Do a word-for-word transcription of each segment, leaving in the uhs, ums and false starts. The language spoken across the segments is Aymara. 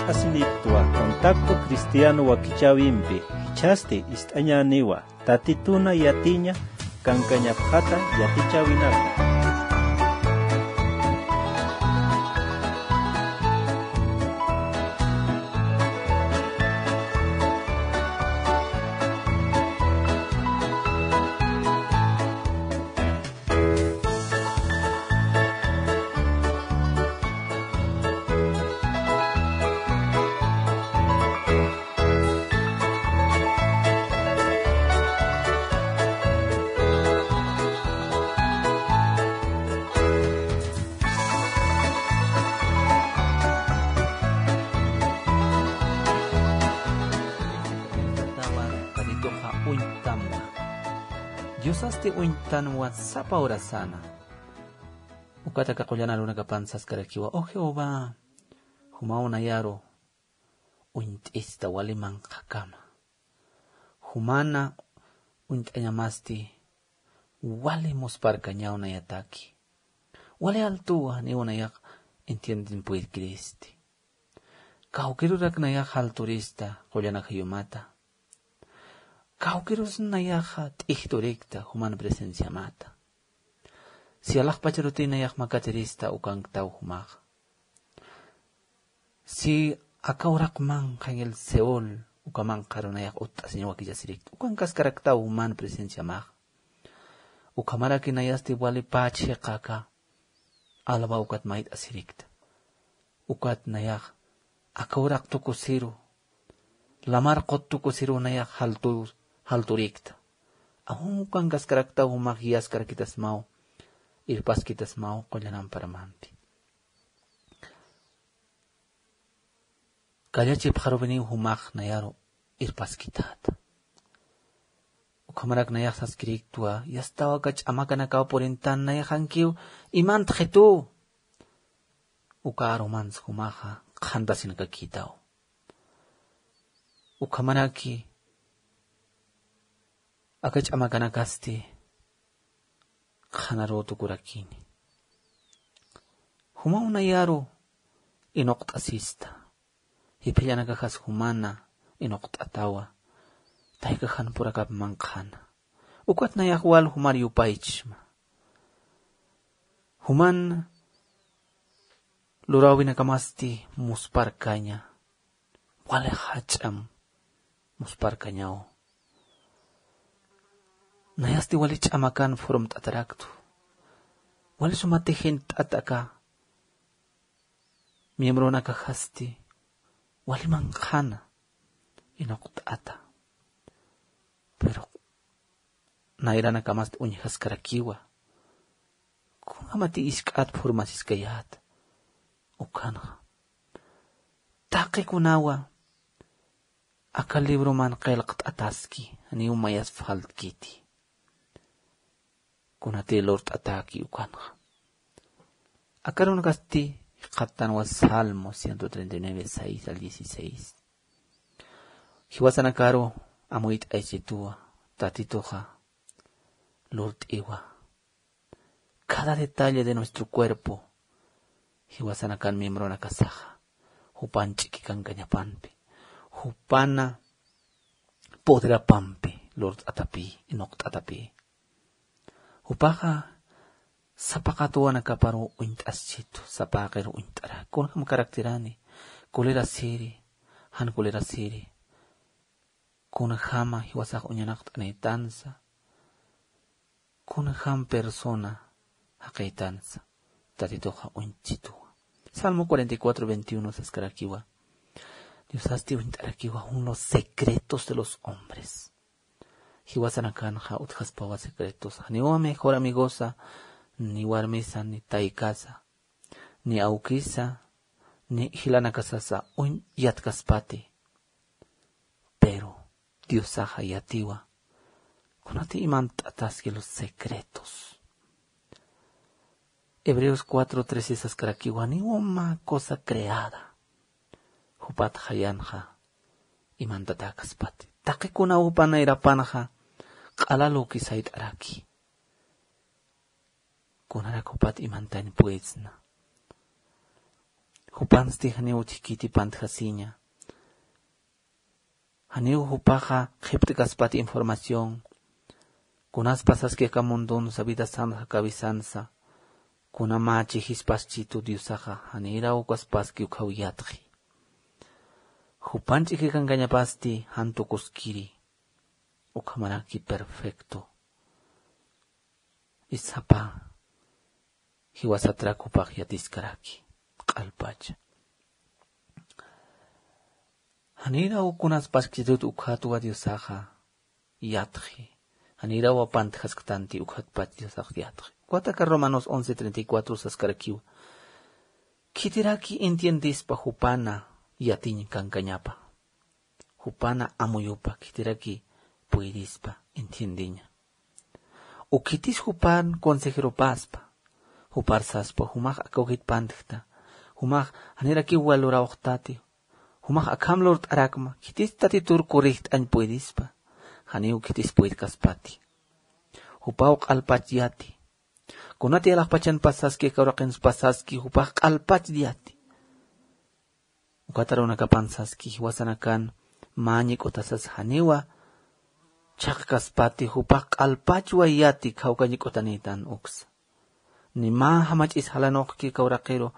Asiniktwa Contacto Cristiano wakichäwimpi, jichhasti ist'añäniwa, Tatituna yatiña kankañapxata yatichäwinaka. Tatituxa uñtanwa. Diosasti uñtanwa sapa urasana. Ukataka qullan arunakapan saskarakiwa: O Jehová, jumaw nayaru uñt'ista wali manqhakama. Jumana uñt'añamasti wali musparkañaw nayataki. Wali altuwa, janiw nayax entienden puydkiristi. Kawkirurak nayax alturista qullan ajayumata. Kawkirus nayaxa t'ijturikta juman presenciamata. Si alaxpacharuti nayax makatirista ukanktaw jumaxa. Si aka uraq manqha en el Seol, uka manqharu nayax utt'asiñ wakichasirikta, ukankaskaraktaw juman presenciamaxa. Ukhamaraki nayasti wali pach jiqaka alba ukat mayt'asirikta. Ukat nayax aka uraq tukusiru, lamar qut tukusiru nayax jaltu-, jalturikta. Aun ukankaskaraktaw jumax guiaskarakitasmaw, irpaskitasmaw qullan amparamampi. Kallachipxarupiniw jumax nayaru irpaskitäta. Ukhamarak nayax saskiriktwa: Yastaw aka ch'amakanakaw purintan, nayaxankiw imantxitu. Uka arumans jumaxa qhantasinakakïtaw. Ukhamaraki aka ch'amakanakasti qhanaruw tukurakini. Jumaw nayaru inuqt'asista. Jipillanakaxas jumana inuqt'atawa, taykaxan purakap manqhana. Ukat nayax wal jumar yupaychma. Juman luräwinakamasti musparkaña, wali jach'am musparkañaw. Nayasti wali ch'amakan formt'ataraktu. Wali suma tijint'at aka miembronakaxasti wali manqhana inuqt'ata. Pero nayranakamasti uñjaskarakiwa. Kunjamati isk'at formasiskayät. Ukanxa taqikunawa aka libroman qillqt'ataski, janiw mayas faltkiti. Kunati lurt'atäki ukanxa. Aka arunakasti jikxatanwa Salmo ciento treinta y nueve, seis al dieciséis. Jiwasanakaru amuyt'aychituwa, Tatituxa lurt'iwa. Cada detalle de nuestro cuerpo, jiwasanakan miembronakasaxa, jupan ch'iki kankañapampi, jupana poderapampi lurt'atapï, inuqt'atapï. Jupaxa sapa qatuwanakaparu uñt'aschitu, sapa jaqiru uñt'ara. Kunjam karaktirani, kulirasiri, jan kulirasiri. Kunjama jiwasax uñanaqt'anïtansa, kunjam persona jaqïtansa, Tatituxa uñchituwa. Salmo cuarenta y cuatro veintiuno saskarakiwa: Diosasti uñt'arakiwa jun los secretos de los hombres. Jiwasanakanxa utjaspawa secretos. Janiwa mejor amigosa, ni warmisa, ni taykasa, ni awkisa, ni jilanakasasa uñ yatkaspati. Pero Diosaxa yatiwa kunati imant'ataski los secretos. Hebreos cuatro trece saskarakiwa: Ni uma cosa creada jupat jayanxa imantatäkaspati. Taqikunaw jupa nayrapanxa q'ala lüki sayt'araki. Kunarak jupat imantañ puedsna. Jupansti janiw utjkiti pantjasiña. Janiw jupaxa qhipt'kaspati información. Kunas pasaski aka mundonsa, vidasansa, cabezansa. Kuna mä chijispaschïtu Diosaxa, janiraw ukaspaski ukhaw yatxi. Jupan ch'ikikankañapasti jan tukuskiri. Ukhamaraki perfecto. Isapa jiwasatrak jupax yatiskaraki. Q'alpacha. Janiraw kunaspaschïtut ukhatwa Diosaxa yatxi. Janiraw pantjasktanti ukhatpach Diosax yatxi. Ukataka Romanos once treinta y cuatro saskarakiwa. Khitiraki entiendespa jupana yatiñ kankañapa. Jupana amuyupa khitiraki puydispa entiendeña. U khitis jupan consejeropaspa, jupar saspa, jumax akawkit pantjta, jumax janirakiw lurawxtati, jumax akham lurt'arakma, khitis Tatitur corregt'añ puydispa, janiw khitis puydkaspati. Jupaw q'alpach yati. Kunati alaxpachan pasaski, aka uraqins pasaski, jupax q'alpach yati. Ukat arunakapan saski, jiwasanakan mä ñik'utasas janiwa chhaqkaspati, jupax q'alpachwa yati, khawka ñik'utanïtan uksa. Ni mä jamach'is jalanuqki aka uraqiru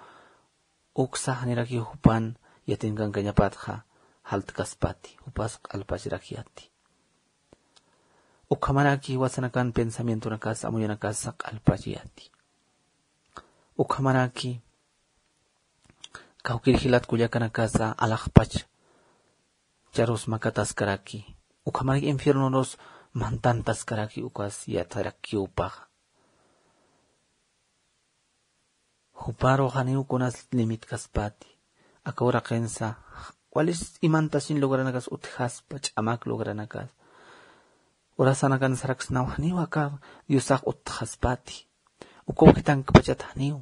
uksa, janirakiw jupan yatinkankañapatxa jaltkaspati, jupas q'alpachrak yati. Ukhamaraki jiwasanakan pensamientonakasa, amuyanakasa q'alpach yati. Ukhamaraki kawkir jilat kullakanakasa alaxpach charus makataskaraki. Ukhamaraki infiernonus mantantaskaraki ukas yatarakiw jupaxa. Juparu janiw kunas limitkaspati. Aka uraqinsa walis imantasin logranakas utjaspa, ch'amak logranakas. Urasanakan saraksnaw janiw aka Diosax utjaspati. Uka ukitankpachat janiw.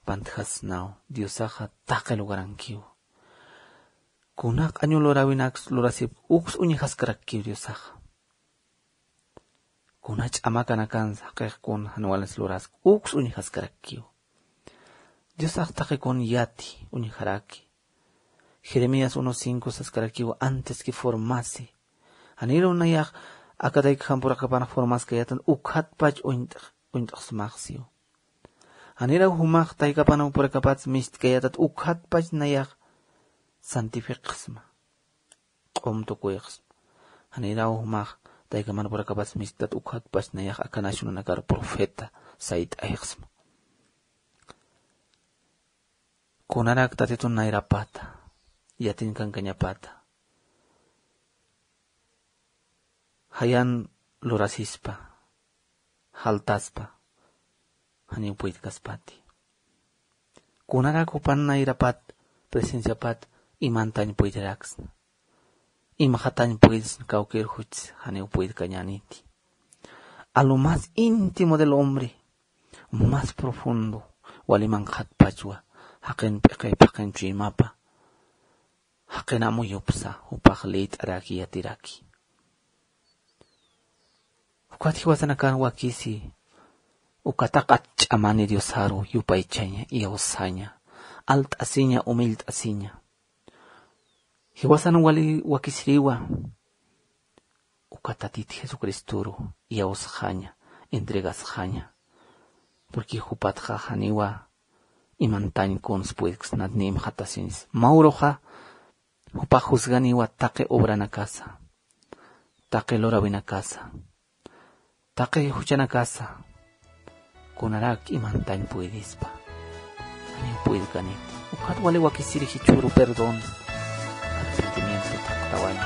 Pantjasnaw, Diosaxa taqi logrankiw. Kuna q'añu luräwinaks lurasip uks uñjaskarakkiw Diosaxa. Kuna ch'amakanakan jaqix kun jan walins lurask uks uñjaskarakkiw. Diosax taqi kun yati uñjaraki. Jeremías uno cinco saskarakiw, antes que formase. Janiru nayax aka taykaxampurakapan formaskayätan ukhatpach uñt'x-, uñt'xsmax siw. Janiraw jumax taykapanakampurakapat mistkayätat ukhatpach nayax santifiqsma. Q'um tukuyxsma. Janiraw jumax taykamanakampurakapat misktat ukhatpach nayax aka nacionanakar profeta sayt'ayxsma. Kunarak Tatitun nayrapata, yatinkankañapata, jayan lurasispa, jaltaspa, janiw puytkaspati. Kunarak jupan nayrapat, presenciapat, imantañ puytiraksna. Imxatañ puytsna kawkir juchsa, janiw puytkañäniti. A lo más íntimo del hombre, más profundo, wali manqhatpachwa, jaqin p'iqip, jaqin chuymapa, jaqin amuyupsa, jupax liyt'araki, yatiraki. Ukat jiwasanakan wakisi, uka taqat ch'amani Diosaru, yupaychaña, iyawsaña, alt'asiña, umillt'asiña. Jiwasan wali wakisiriwa, uka Tatit Jesucristoru iyawsxaña, entregasxaña. Porque jupatxa janiwa imantañ kuns puytksnat ni imxatasiñs. Mä uruxa jupax juzganiwa taqi obranakasa, taqi luräwinakasa, taqi juchanakasa, kunarak imantañ puydispa. Janiw puytkaniti. Ukat wali wakisiri jichhüru perdón, arrepentimiento, thaqtawañ.